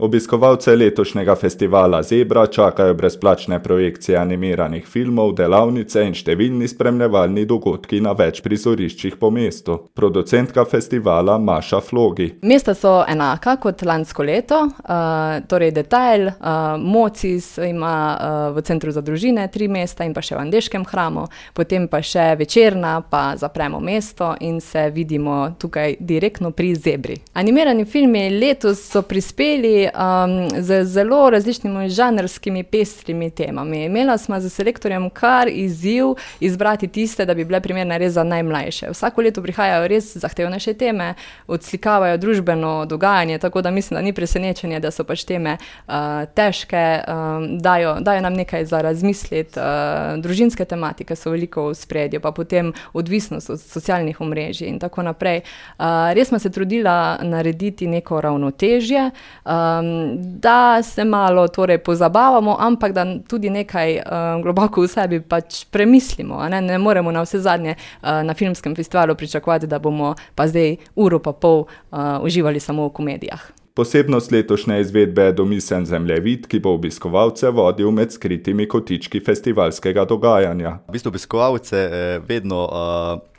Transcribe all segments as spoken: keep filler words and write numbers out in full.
Obiskovalce letošnjega festivala Zebra čakajo brezplačne projekcije animiranih filmov, delavnice in številni spremljevalni dogodki na več prizoriščih po mestu. Producentka festivala Maša Flogi. Mesta so enaka kot lansko leto, uh, torej Detajl, uh, Mocis ima uh, v Centru za družine tri mesta in pa še v Andeškem hramu, potem pa še Večerna, pa Zapremo mesto in se vidimo tukaj direktno pri Zebri. Animirani filmi letos so prispeli Um, z zelo različnimi žanrskimi pestrimi temami. Imela smo z selektorjem kar izziv izbrati tiste, da bi bile primerne res za najmlajše. Vsako leto prihajajo res zahtevnejše teme, odslikavajo družbeno dogajanje, tako da mislim, da ni presenečenje, da so pač teme uh, težke, um, dajo, dajo nam nekaj za razmisliti. Uh, družinske tematike so veliko v spredju, pa potem odvisnost od socialnih omrežij in tako naprej. Uh, res smo se trudila narediti neko ravnotežje, um, da se malo torej pozabavamo, ampak da tudi nekaj um, globoko v sebi pač premislimo. Ne, ne moremo na vse zadnje uh, na filmskem festivalu pričakovati, da bomo pa zdaj uro pa pol uh, uživali samo v komedijah. Posebnost letošnje izvedbe je domiseln zemljevid, ki bo obiskovalce vodil med skritimi kotički festivalskega dogajanja. V bistvu obiskovalce eh, vedno uh...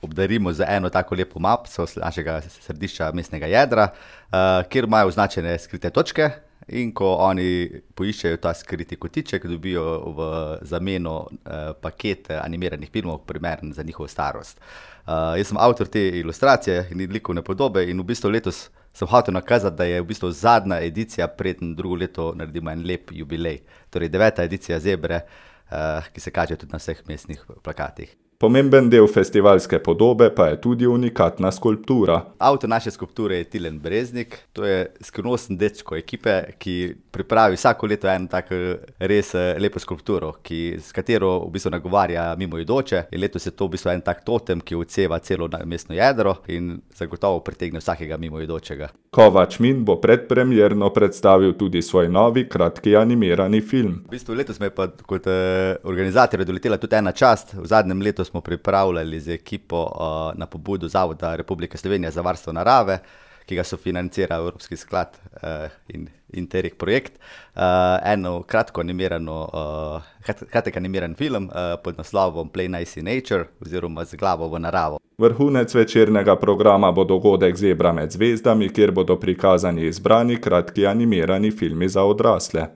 obdarimo z eno tako lepo mapico z našega središča mestnega jedra, uh, kjer imajo označene skrite točke in ko oni poiščejo ta skriti kotiček, dobijo v zameno uh, paket animiranih filmov, primeren za njihovo starost. Uh, jaz sem avtor te ilustracije in likovne podobe in v bistvu letos sem hotel nakazati, da je v bistvu zadnja edicija, preden drugo leto naredimo en lep jubilej. Torej deveta edicija Zebre, uh, ki se kaže tudi na vseh mestnih plakatih. Pomemben del festivalske podobe pa je tudi unikatna skulptura. Avtor naše skulpture je Tilen Breznik. To je skrivnosten dečko ekipe, ki pripravi vsako leto eno tako res lepo skulpturo, ki, s katero v bistvu nagovarja mimoidoče. In letos je to v bistvu en tak totem, ki odseva celo mestno jedro in zagotovo pritegne vsakega mimoidočega. Kovač Min bo predpremierno predstavil tudi svoj novi kratki animirani film. V bistvu letos me pa kot eh, organizatorja doletela tudi ena čast. V zadnjem letu smo pripravljali z ekipo uh, na pobudo Zavoda Republike Slovenije za varstvo narave, ki ga sofinancira Evropski sklad uh, in Interreg projekt, uh, eno kratko animirano, uh, kratek animiran film uh, pod naslovom Play Nice in Nature oziroma Z glavo v naravo. Vrhunec večernega programa bo dogodek Zebra med zvezdami, kjer bodo prikazani izbrani kratki animirani filmi za odrasle.